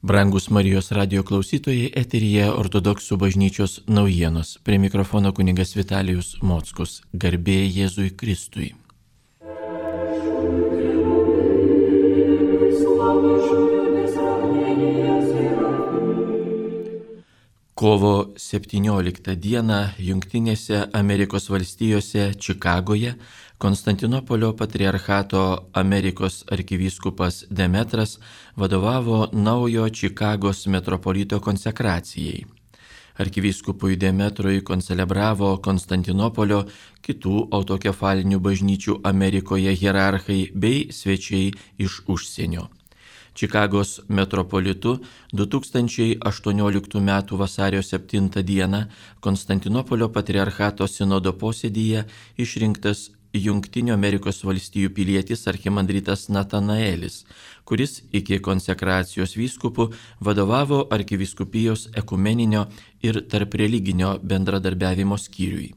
Brangus Marijos radio klausytojai, eteryje Ortodoksų bažnyčios naujienos. Prie mikrofono kunigas Vitalijus Mockus. Garbė Jėzui Kristui. Kovo 17 dieną Jungtinėse Amerikos valstijose Čikagoje Konstantinopolio patriarchato Amerikos arkivyskupas Demetras vadovavo naujo Čikagos metropolito konsekracijai. Arkivyskupui Demetrui koncelebravo Konstantinopolio, kitų autokefalinių bažnyčių Amerikoje hierarchai bei svečiai iš užsienio. Čikagos metropolitu 2018 m. vasario 7 d. Konstantinopolio patriarchato sinodo posėdyje išrinktas Jungtinių Amerikos valstijų pilietis archimandritas Natanaelis, kuris iki konsekracijos vyskupų vadovavo arkivyskupijos ekumeninio ir tarpreliginio bendradarbiavimo skyriui.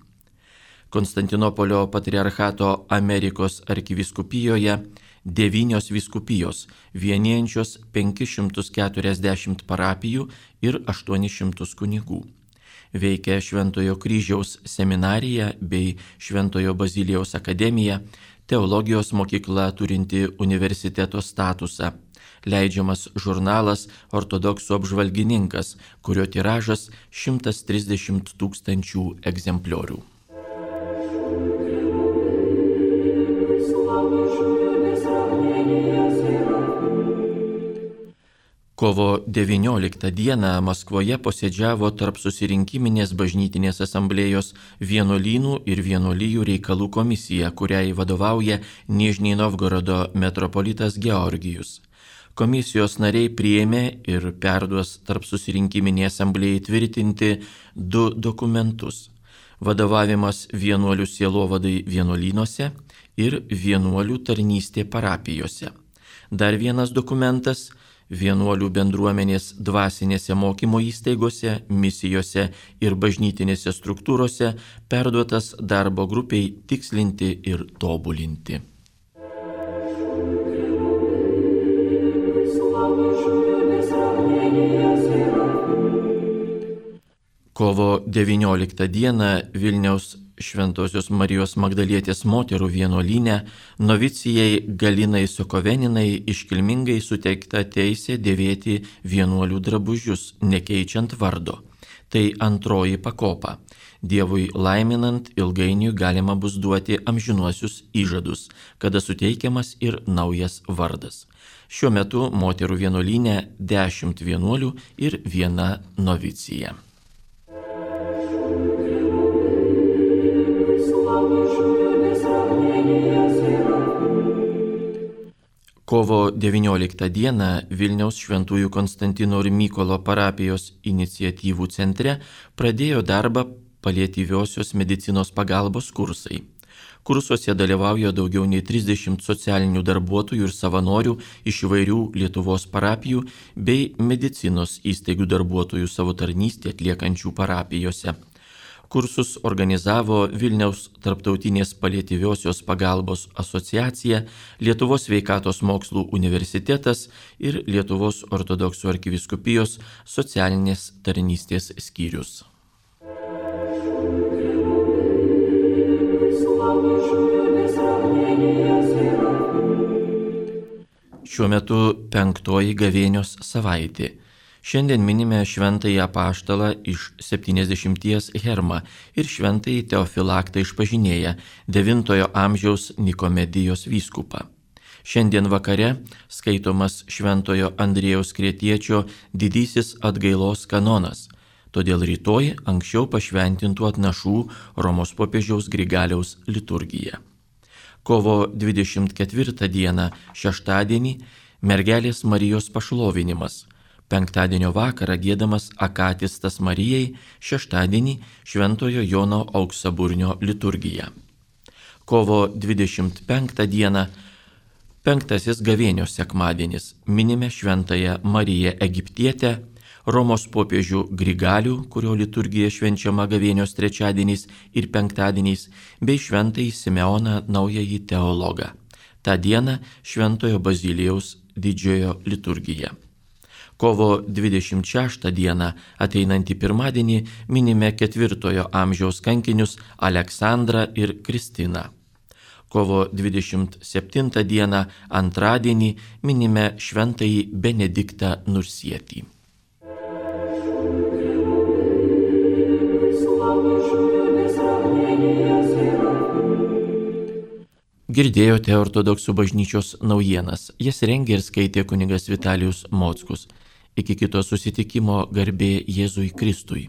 Konstantinopolio patriarchato Amerikos arkivyskupijoje 9 vyskupijos, vienijančios 540 parapijų ir 800 kunigų. Veikia Šventojo Kryžiaus seminarija bei Šventojo Bazilijaus akademija, teologijos mokykla turinti universiteto statusą, leidžiamas žurnalas Ortodoksų apžvalgininkas, kurio tiražas 130 000 egzempliorių. Kovo 19 dieną Maskvoje posėdžiavo tarp susirinkiminės bažnytinės asamblėjos vienuolynų ir vienuolijų reikalų komisija, kuriai vadovauja Nižnij Novgorodo metropolitas Georgijus. Komisijos nariai priėmė ir perduos tarp susirinkiminė asamblėjai tvirtinti 2 dokumentus – vadovavimas vienuolių sielovadai vienuolynuose ir vienuolių tarnystė parapijose. Dar vienas dokumentas – vienuolių bendruomenės dvasinėse mokymo įstaigose, misijose ir bažnytinėse struktūrose perduotas darbo grupiai tikslinti ir tobulinti. Kovo 19 dieną Vilniaus Šventosios Marijos Magdalietės moterų vienuolyne novicijai Galinai Sokoveninai iškilmingai suteikta teisė dėvėti vienuolių drabužius, nekeičiant vardo. Tai antroji pakopa. Dievui laiminant ilgainiui galima bus duoti amžinuosius įžadus, kada suteikiamas ir naujas vardas. Šiuo metu moterų vienuolyne 10 vienuolių ir 1 novicija. Kovo 19 dieną Vilniaus Šventųjų Konstantino ir Mykolo parapijos iniciatyvų centre pradėjo darbą paliatyviosios medicinos pagalbos kursai. Kursuose dalyvauja daugiau nei 30 socialinių darbuotojų ir savanorių iš įvairių Lietuvos parapijų bei medicinos įstaigų darbuotojų savo tarnystę atliekančių parapijose. Kursus organizavo Vilniaus Tarptautinės paliatyviosios pagalbos asociacija, Lietuvos sveikatos mokslų universitetas ir Lietuvos ortodoksų arkivyskupijos socialinės tarnystės skyrius. Šiuo metu 5. gavėnios savaitė. Šiandien minime šventąjį apaštalą iš 70 Hermą ir šventąjį Teofilaktą išpažinėją 9 amžiaus Nikomedijos vyskupą. Šiandien vakare skaitomas šventojo Andriejaus Kretiečio didysis atgailos kanonas, todėl rytoj anksčiau pašventintų atnašų Romos popiežiaus Grigaliaus liturgija. Kovo 24 dieną šeštadienį mergelės Marijos pašlovinimas. Penktadienio vakarą giedamas akatistas Marijai, šeštadienį Šventojo Jono Auksaburnio liturgija. Kovo 25 dieną 5. gavėnios sekmadienis minime Šventąją Mariją Egiptietę, Romos popiežių Grigalių, kurio liturgija švenčiama gavėnios trečiadieniais ir penktadieniais, bei Šventąjį Simeoną Naująjį teologą. Ta diena Šventojo Bazilijaus didžiojo liturgija. Kovo 26 dieną, ateinantį pirmadienį, minime 4 amžiaus kankinius Aleksandrą ir Kristiną. Kovo 27 dieną, antradienį, minime šventąjį Benediktą Nursietį. Girdėjote Ortodoksų bažnyčios naujienas. Jas rengė ir skaitė kunigas Vitalijus Mockus. Iki kito susitikimo, garbė Jėzui Kristui.